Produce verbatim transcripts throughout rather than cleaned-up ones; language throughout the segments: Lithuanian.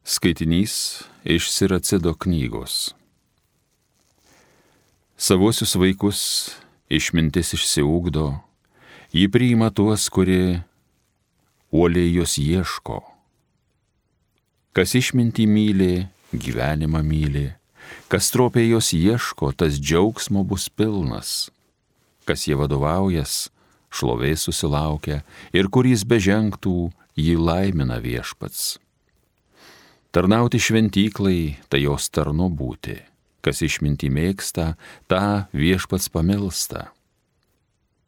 Skaitinys iš Siracido knygos. Savosius vaikus išmintis išsiugdo, ji priima tuos, kurie uoliai jos ieško. Kas išmintį myli, gyvenimą myli, kas stropiai jos ieško, tas džiaugsmo bus pilnas. Kas jie vadovaujas, šlovės susilaukia, ir kur jis bežengtų, jį laimina viešpats. Tarnauti šventyklai, tai jos tarnu būti. Kas išmintį mėgsta, tą viešpats pamilsta.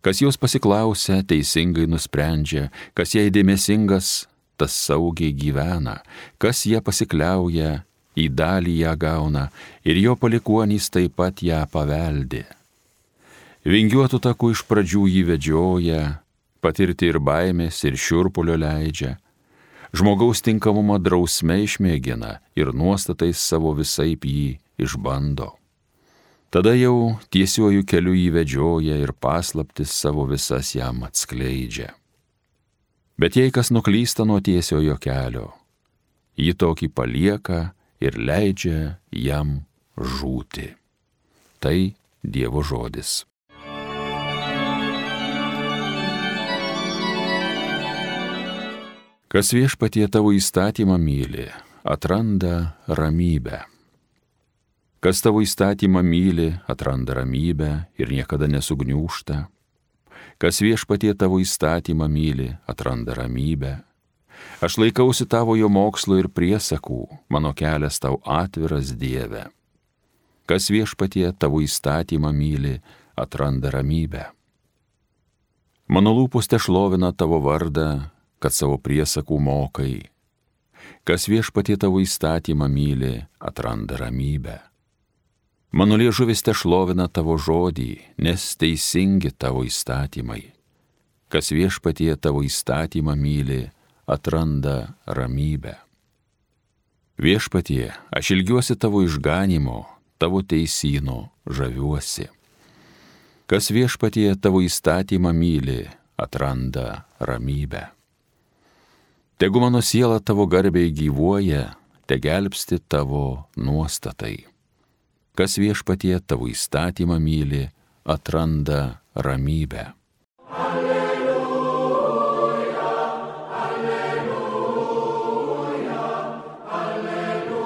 Kas jos pasiklausia, teisingai nusprendžia, kas jai dėmesingas, tas saugiai gyvena, kas ją pasikliauja, į dalį ją gauna, ir jo palikuonys taip pat ją paveldi. Vingiuotų takų iš pradžių jį vedžioja, patirti ir baimės, ir šiurpulio leidžia. Žmogaus tinkamumą drausme išmėgina ir nuostatais savo visaip jį išbando. Tada jau tiesiuoju keliu jį vedžioja ir paslaptis savo visas jam atskleidžia. Bet jei kas nuklysta nuo tiesiojo kelio, jį tokį palieka ir leidžia jam žūti. Tai Dievo žodis. Kas viešpatie tavo įstatymą myli, atranda ramybę. Kas tavo įstatymą myli, atranda ramybę ir niekada nesugniūžta. Kas viešpatie tavo įstatymą myli, atranda ramybę. Aš laikausi tavo jo mokslo ir priesakų, mano kelias tau atviras, Dieve. Kas viešpatie tavo įstatymą myli, atranda ramybę. Mano lūpos tešlovina tavo vardą, kad savo priesakų mokai. Kas viešpatie tavo įstatymą myli, atranda ramybę. Mano liežuvis tešlovina tavo žodį, nes teisingi tavo įstatymai. Kas viešpatie tavo įstatymą myli, atranda ramybę. Viešpatie, aš ilgiuosi tavo išganimo, tavo teisyno žaviuosi. Kas viešpatie tavo įstatymą myli, atranda ramybę. Tegu mano siela tavo garbiai gyvuoja, te gelbsti tavo nuostatai. Kas viešpatie tavo įstatymą myli, atranda ramybę. Alleluja, alleluja, alleluja.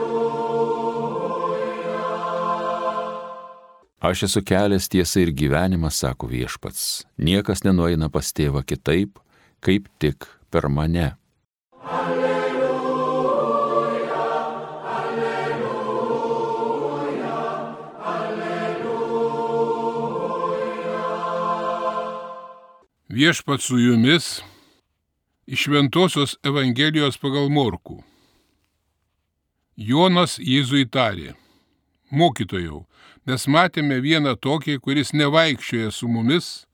Aš esu kelias, tiesa ir gyvenimas, sako viešpats. Niekas nenueina pas tėvą kitaip, kaip tik per mane. Alleluja, alleluja, alleluja. Viešpats su jumis iš Šventosios Evangelijos pagal Morkų. Jonas Jėzui tarė: Mokytojau, mes matėme vieną tokį, kuris nevaikščioja su mumis,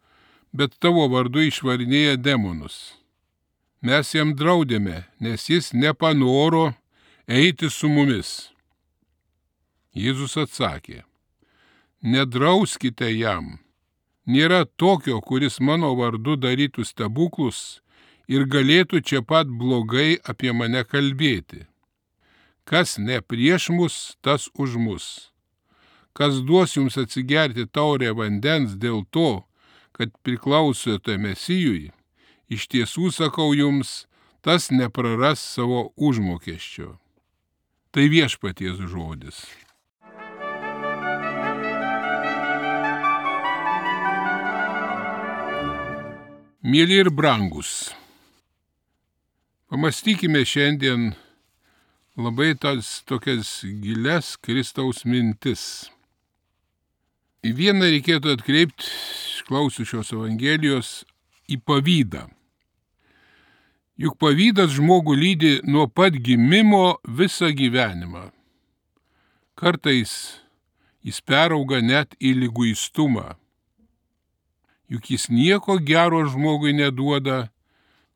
bet tavo vardu išvarinėja demonus. Mes jam draudėme, nes jis nepanoro eiti su mumis. Jėzus atsakė: Nedrauskite jam. Nėra tokio, kuris mano vardu darytų stebuklus ir galėtų čia pat blogai apie mane kalbėti. Kas ne prieš mus, tas už mus. Kas duos jums atsigerti taurę vandens dėl to, kad priklausote Mesijui, iš tiesų sakau jums, tas nepraras savo užmokesčio. Tai viešpaties žodis. Mieli ir brangus, pamastykime šiandien labai tas tokias gilias Kristaus mintis. Į vieną reikėtų atkreipti, klausiu šios Evangelijos, į pavydą. Juk pavydas žmogų lydi nuo pat gimimo visą gyvenimą. Kartais jis perauga net į liguistumą. Juk jis nieko gero žmogui neduoda,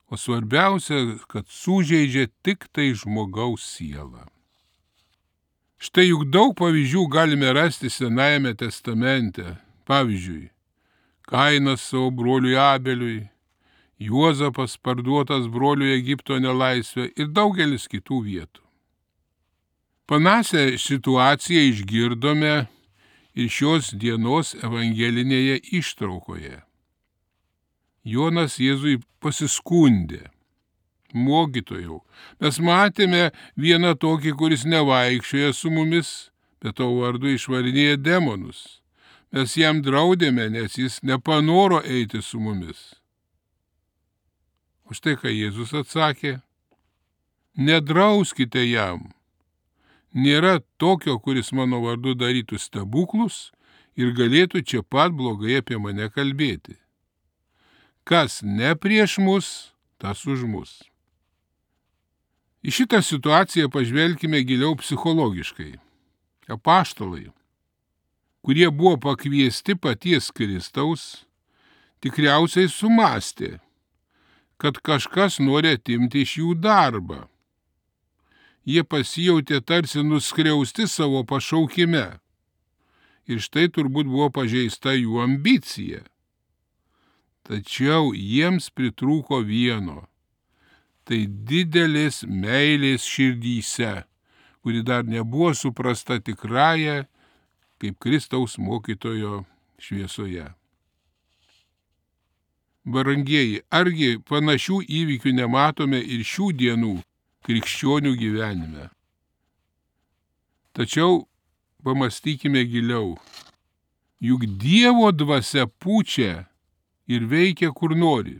o svarbiausia, kad sužeidžia tik tai žmogaus sielą. Štai juk daug pavyzdžių galime rasti Senajame testamente. Pavyzdžiui, Kainas savo broliui Abeliui, Juozapas parduotas broliui Egipto nelaisvę ir daugelis kitų vietų. Panašią situaciją išgirdome ir šios dienos evangelinėje ištraukoje. Jonas Jėzui pasiskundė: mokytojau, mes matėme vieną tokį, kuris nevaikščioja su mumis, bet tavo vardu išvarinėja demonus. Mes jam draudėme, nes jis nepanoro eiti su mumis. O štai ką Jėzus atsakė: nedrauskite jam. Nėra tokio, kuris mano vardu darytų stebuklus ir galėtų čia pat blogai apie mane kalbėti. Kas ne prieš mus, tas už mus. Į šitą situaciją pažvelkime giliau psichologiškai. Apaštalai, kurie buvo pakviesti paties Kristaus, tikriausiai sumastė, kad kažkas nori atimti iš jų darbą. Jie pasijautė tarsi nuskriausti savo pašaukime. Ir štai turbūt buvo pažeista jų ambicija. Tačiau jiems pritrūko vieno. Tai didelės meilės širdyse, kuri dar nebuvo suprasta tikrąja kaip Kristaus mokytojo šviesoje. Brangieji, argi panašių įvykių nematome ir šių dienų krikščionių gyvenime? Tačiau pamastykime giliau. Juk Dievo dvasia pučia ir veikia kur nori.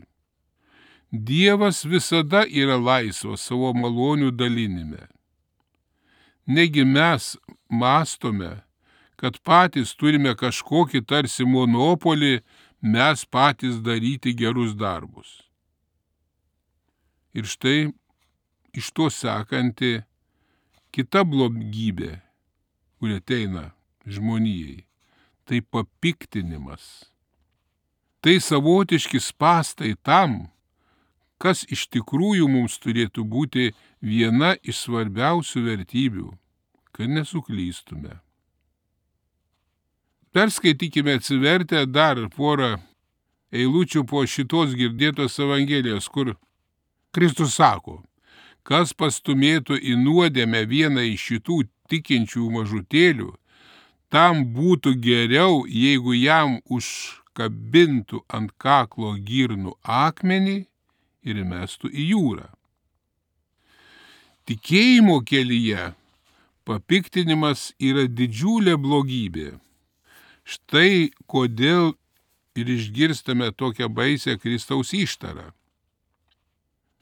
Dievas visada yra laisvas savo malonių dalinime. Negi mes mąstome, kad patys turime kažkokį tarsi monopolį mes patys daryti gerus darbus. Ir štai iš to sekanti kita blogybė, kuri ateina žmonijai, tai papiktinimas. Tai savotiški spąstai tam, kas iš tikrųjų mums turėtų būti viena iš svarbiausių vertybių, kad nesuklystume. Perskaitykime atsivertę dar porą eilučių po šitos girdėtos evangelijos, kur Kristus sako: kas pastumėtų į nuodėmę vieną iš šitų tikinčių mažutėlių, tam būtų geriau, jeigu jam užkabintų ant kaklo girnų akmenį ir mestų į jūrą. Tikėjimo kelyje papiktinimas yra didžiulė blogybė. Štai kodėl ir išgirstame tokią baisę Kristaus ištarą.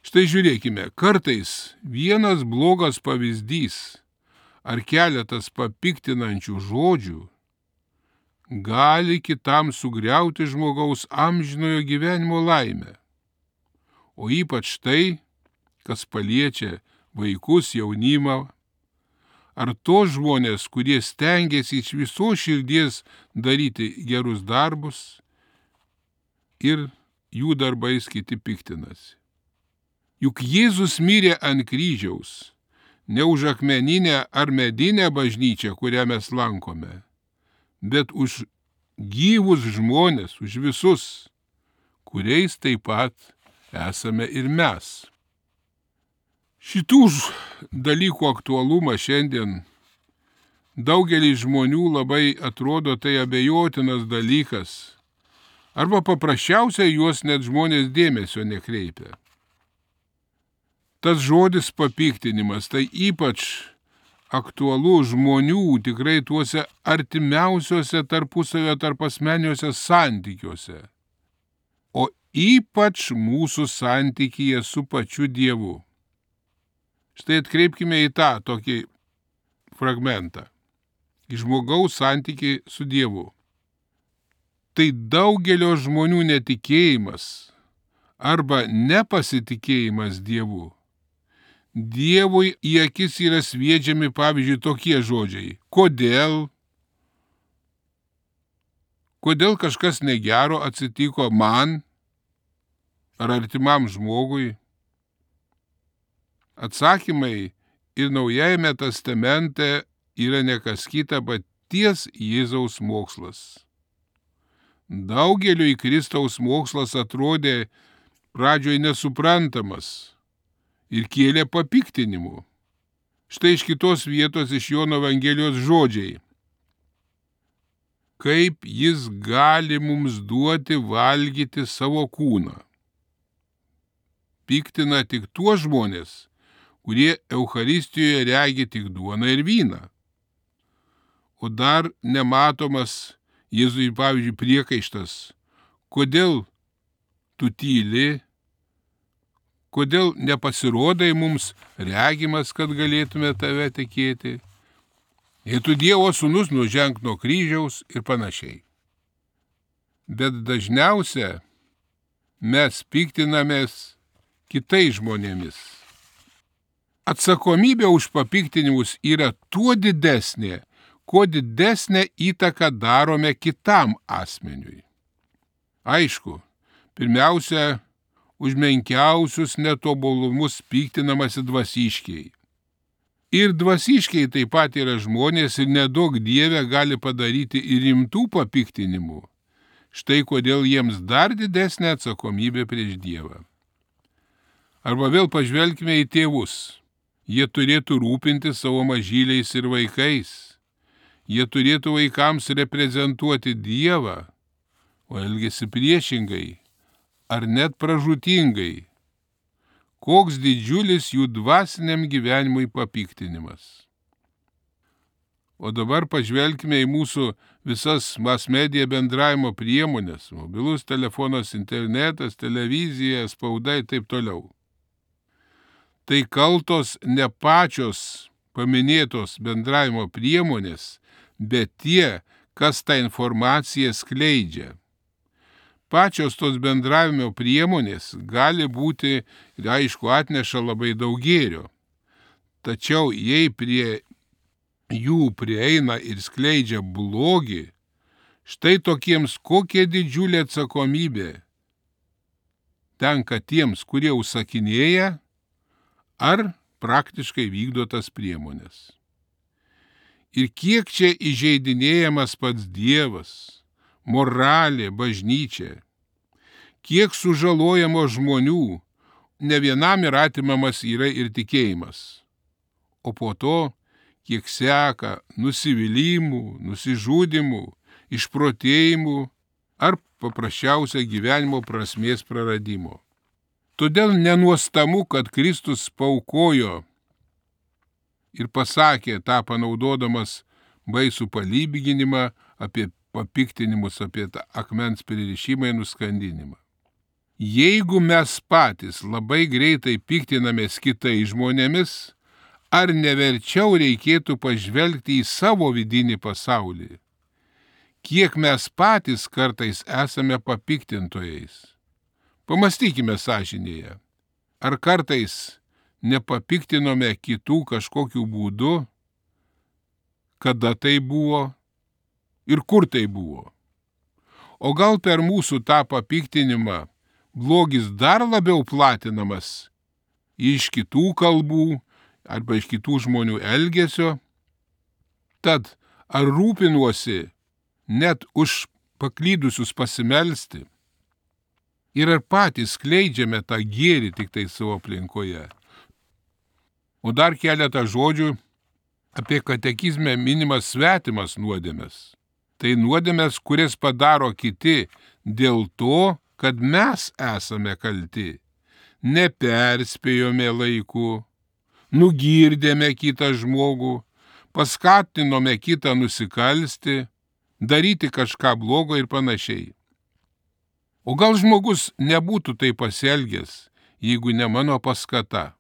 Štai žiūrėkime, kartais vienas blogas pavyzdys ar keletas papiktinančių žodžių gali kitam sugriauti žmogaus amžinojo gyvenimo laimę. O ypač tai, kas paliečia vaikus, jaunimą, ar tos žmonės, kurie stengiasi iš visos širdies daryti gerus darbus ir jų darbais kiti piktinasi. Juk Jėzus mirė ant kryžiaus, ne už akmeninę ar medinę bažnyčią, kurią mes lankome, bet už gyvus žmonės, už visus, kuriais taip pat esame ir mes. Šitų dalykų aktualumą šiandien daugelį žmonių labai atrodo tai abejotinas dalykas, arba paprasčiausiai juos net žmonės dėmesio nekreipia. Tas žodis papiktinimas tai ypač aktualu žmonių tikrai tuose artimiausiuose tarpusavio tarpasmeniuose santykiuose, o ypač mūsų santykyje su pačiu Dievu. Štai atkreipkime į tą tokį fragmentą. Į žmogaus santykį su Dievu. Tai daugelio žmonių netikėjimas arba nepasitikėjimas Dievu. Dievui į akis yra sviedžiami, pavyzdžiui, tokie žodžiai. Kodėl? Kodėl kažkas negero atsitiko man ar artimam žmogui? Atsakymai ir Naujajame testamente yra nekas kita, bet ties Jėzaus mokslas. Daugeliui Kristaus mokslas atrodė pradžioj nesuprantamas ir kėlė papiktinimu. Štai iš kitos vietos iš Jono Evangelijos žodžiai. Kaip jis gali mums duoti valgyti savo kūną? Piktina tik tuos žmonės, kurie Eucharistijoje regi tik duoną ir vyną. O dar nematomas Jėzui, pavyzdžiui, priekaištas. Kodėl tu tyli? Kodėl nepasirodai mums regimas, kad galėtume tave tikėti? Jei tu Dievo sūnus, nuženk nuo kryžiaus ir panašiai. Bet dažniausia mes piktinamės kitais žmonėmis. Atsakomybė už papiktinimus yra tuo didesnė, kuo didesnę įtaką darome kitam asmeniui. Aišku, pirmiausia, už menkiausius netobulumus piktinamasi dvasiškiai. Ir dvasiškiai taip pat yra žmonės ir nedaug Dieve gali padaryti ir rimtų papiktinimų. Štai kodėl jiems dar didesnė atsakomybė prieš Dievą. Arba vėl pažvelkime į tėvus. Jie turėtų rūpinti savo mažyliais ir vaikais. Jie turėtų vaikams reprezentuoti Dievą, o elgiasi priešingai ar net pražūtingai. Koks didžiulis jų dvasiniam gyvenimui papiktinimas. O dabar pažvelkime į mūsų visas mass media bendravimo priemonės, mobilus telefonas, internetas, televizija, spauda ir taip toliau. Tai kaltos ne pačios paminėtos bendravimo priemonės, bet tie, kas tą informaciją skleidžia. Pačios tos bendravimo priemonės gali būti, ir aišku, atneša labai daug gėrio. Tačiau jei prie jų prieina ir skleidžia blogį, štai tokiems kokia didžiulė atsakomybė tenka tiems, kurie užsakinėja ar praktiškai vykdo tas priemonės. Ir kiek čia įžeidinėjamas pats Dievas, moralė, bažnyčia, kiek sužalojamo žmonių, ne vienam ir atimamas yra ir tikėjimas, o po to kiek seka nusivylimų, nusižudimų, išprotėjimų ar paprasčiausia gyvenimo prasmės praradimo. Todėl nenuostabu, kad Kristus paaukojo ir pasakė tą panaudodamas baisų palyginimą apie papiktinimus, apie tą akmens pririšimą ir nuskandinimą. Jeigu mes patys labai greitai piktinamės kitais žmonėmis, ar neverčiau reikėtų pažvelgti į savo vidinį pasaulį? Kiek mes patys kartais esame papiktintojais? Pamastykime sąžinėje. Ar kartais nepapiktinome kitų kažkokiu būdu? Kada tai buvo? Ir kur tai buvo? O gal per mūsų tą papiktinimą blogis dar labiau platinamas iš kitų kalbų arba iš kitų žmonių elgesio? Tad ar rūpinuosi net už paklydusius pasimelsti? Ir ar patys skleidžiame tą gėrį tik tai savo aplinkoje? O dar keletą žodžių apie katekizme minimas svetimas nuodėmes. Tai nuodėmes, kurias padaro kiti dėl to, kad mes esame kalti. Neperspėjome laiku, nugirdėme kitą žmogų, paskatinome kitą nusikalsti, daryti kažką blogo ir panašiai. O gal žmogus nebūtų taip pasielgęs, jeigu ne mano paskata?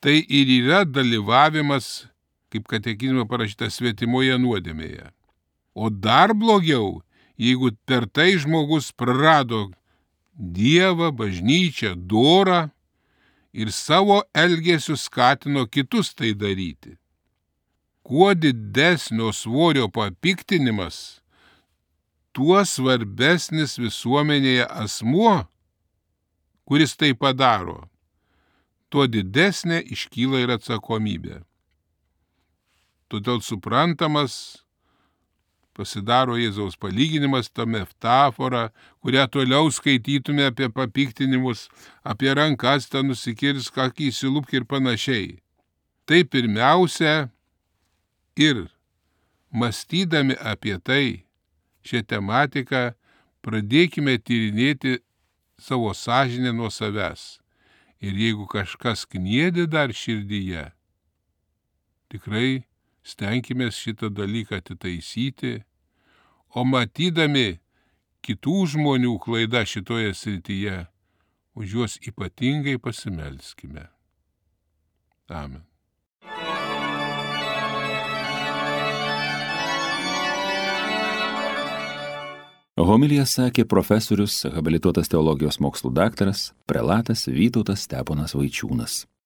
Tai ir yra dalyvavimas, kaip katekizme parašyta, svetimoje nuodėmėje. O dar blogiau, jeigu per tai žmogus prarado Dievą, bažnyčią, dorą ir savo elgesiu skatino kitus tai daryti. Kuo didesnio svorio papiktinimas, tuo svarbesnis visuomenėje asmuo, kuris tai padaro, tuo didesnė iškyla ir atsakomybė. Todėl suprantamas pasidaro Jėzaus palyginimas, ta metafora, kurią toliau skaitytume apie papiktinimus, apie rankas, tą nusikirsk, akį įsilupk ir panašiai. Tai pirmiausia ir mąstydami apie tai, šią tematiką, pradėkime tyrinėti savo sąžinę nuo savęs. Ir jeigu kažkas kniedi dar širdyje, tikrai stenkimės šitą dalyką atitaisyti, o matydami kitų žmonių klaidą šitoje srityje, už juos ypatingai pasimelskime. Amen. Homiliją sakė profesorius, habilituotas teologijos mokslų daktaras, prelatas Vytautas Steponas Vaičiūnas.